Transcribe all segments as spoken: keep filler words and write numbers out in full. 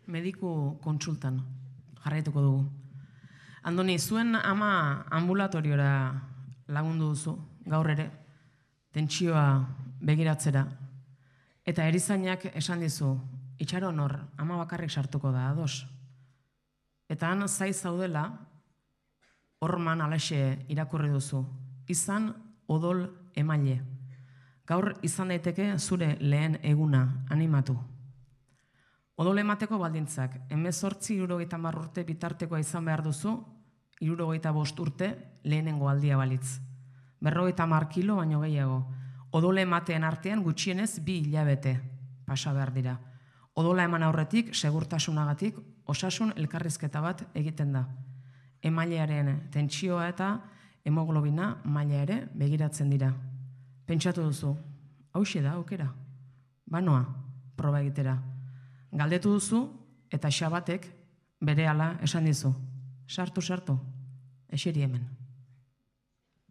mediku kontsultan jarraituko dugu. Andoni, zuen ama ambulatoriora lagundu duzu, gaur ere, tentsioa begiratzera, eta erizainak esan dizu, itxaron hor, ama bakarrik sartuko da, ados. Eta han zai zaudela, horman alaxe irakurri duzu, izan odol emaile. Gaur izan daiteke zure lehen eguna animatu. Odol emateko baldintzak, hemezortzi hirurogeita hamar urte bitartekoa izan behar duzu, hirurogeita bost urte lehenengo aldia balitz. Berrogeita hamar kilo baino gehiago. Odole emateen artean gutxienez bi hilabete pasa behar dira. Odola eman aurretik, segurtasunagatik, osasun elkarrizketa bat egiten da. Emailearen tentsioa eta hemoglobina maila ere begiratzen dira. Pentsatu duzu, hauxe da aukera. Banoa, proba egitera. Galdetu duzu eta Xabatek berehala esan dizu. Sartu, sartu, eseri hemen.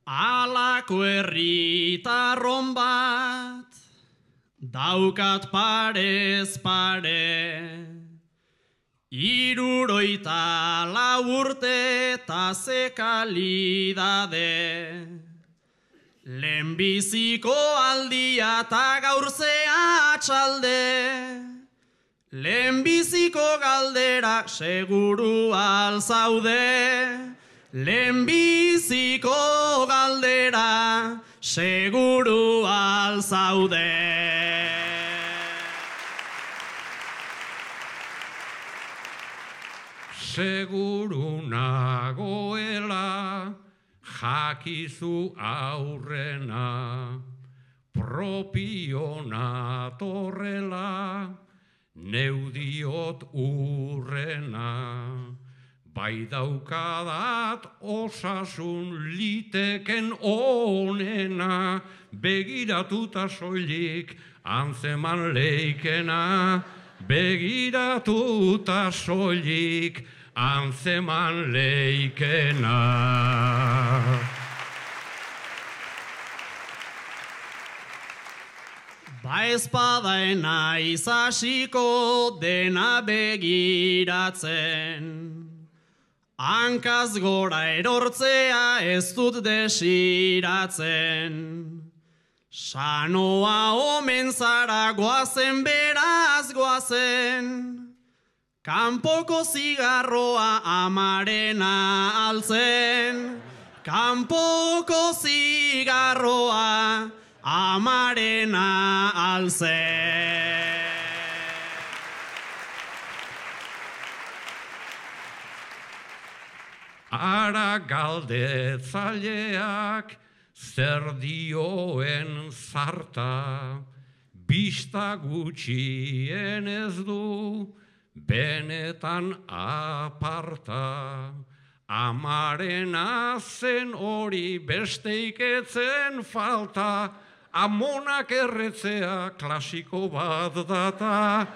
Alako herritarron bat, daukat parez pare, hirurogeita lau urte eta ze kalidade, lehenbiziko aldia eta gaur ze atxalde, lehenbiziko galdera seguru alzaude, lehenbiziko galdera seguru alzaude. Seguru nagoela jakizu aurrena, propio natorrela, neudiot urrena. Bai daukadat osasun liteken onena, begiratuta soilik antzeman leikena, begiratuta soilik antzeman leikena. Ba ezpadaena izasiko dena begiratzen, hankaz gora erortzea ez dut desiratzen. Sanoa omen zara goazen beraz goazen, kanpoko zigarroa amarena altzen, kanpoko zigarroa amarena altzen. Ara galdetzaileak zer dioen zarta, bista gutxien ez du benetan aparta. Amarena zen hori besteik etzen falta, amonak erretzea klasiko bat data,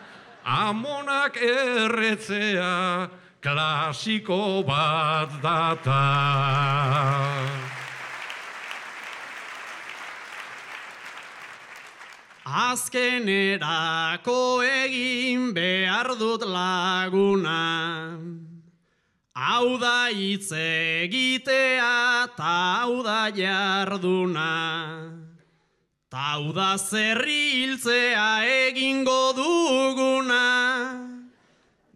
amonak erretzea klasiko bat data. Azkenerako egin behar dut laguna, hau da hitz egitea ta hau da jarduna, ta hau da zerriltzea egingo duguna.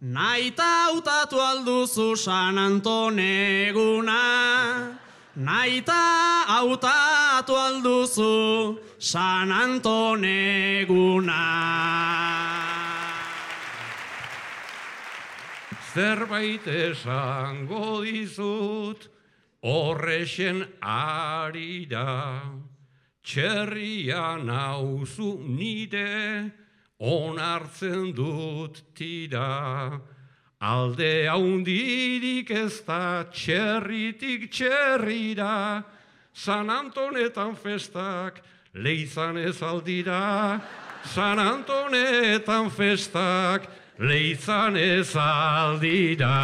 Naita hautatu alduzu San Anton eguna, naita hautatu alduzu San Anton eguna. Zerbait esango dizut horrexen arira, txerria nauzu nire onartzen dut tira. Alde haundirik ez da txerritik txerrira, San Antonetan festak leizan ez aldira, San Antonetan festak leizan ez aldira.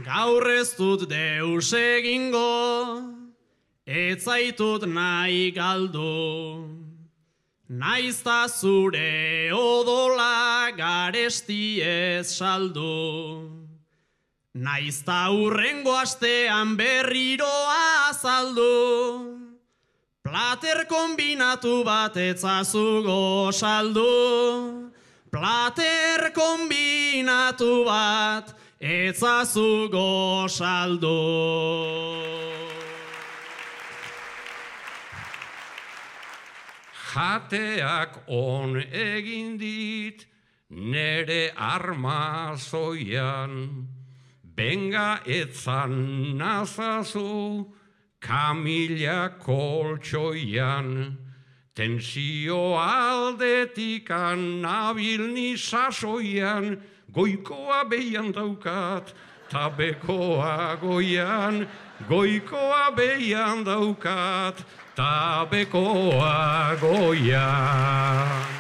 Gaur ez dut deus egingo, ez zaitut nahi galdu. Naizta zure odola garesti ez saldu. Naizta hurrengo astean berriro azaldu. Plater kombinatu bat etzazu gosaldu. Plater kombinatu bat etzazu gosaldu. Jateak on egin dit nere armazoian, benga etzan nazazu kamila koltsoian, tensio aldetikan nabil ni sasoian, goikoa behian daukat, tabekoa goian, goikoa behian daukat, tabekoa goian.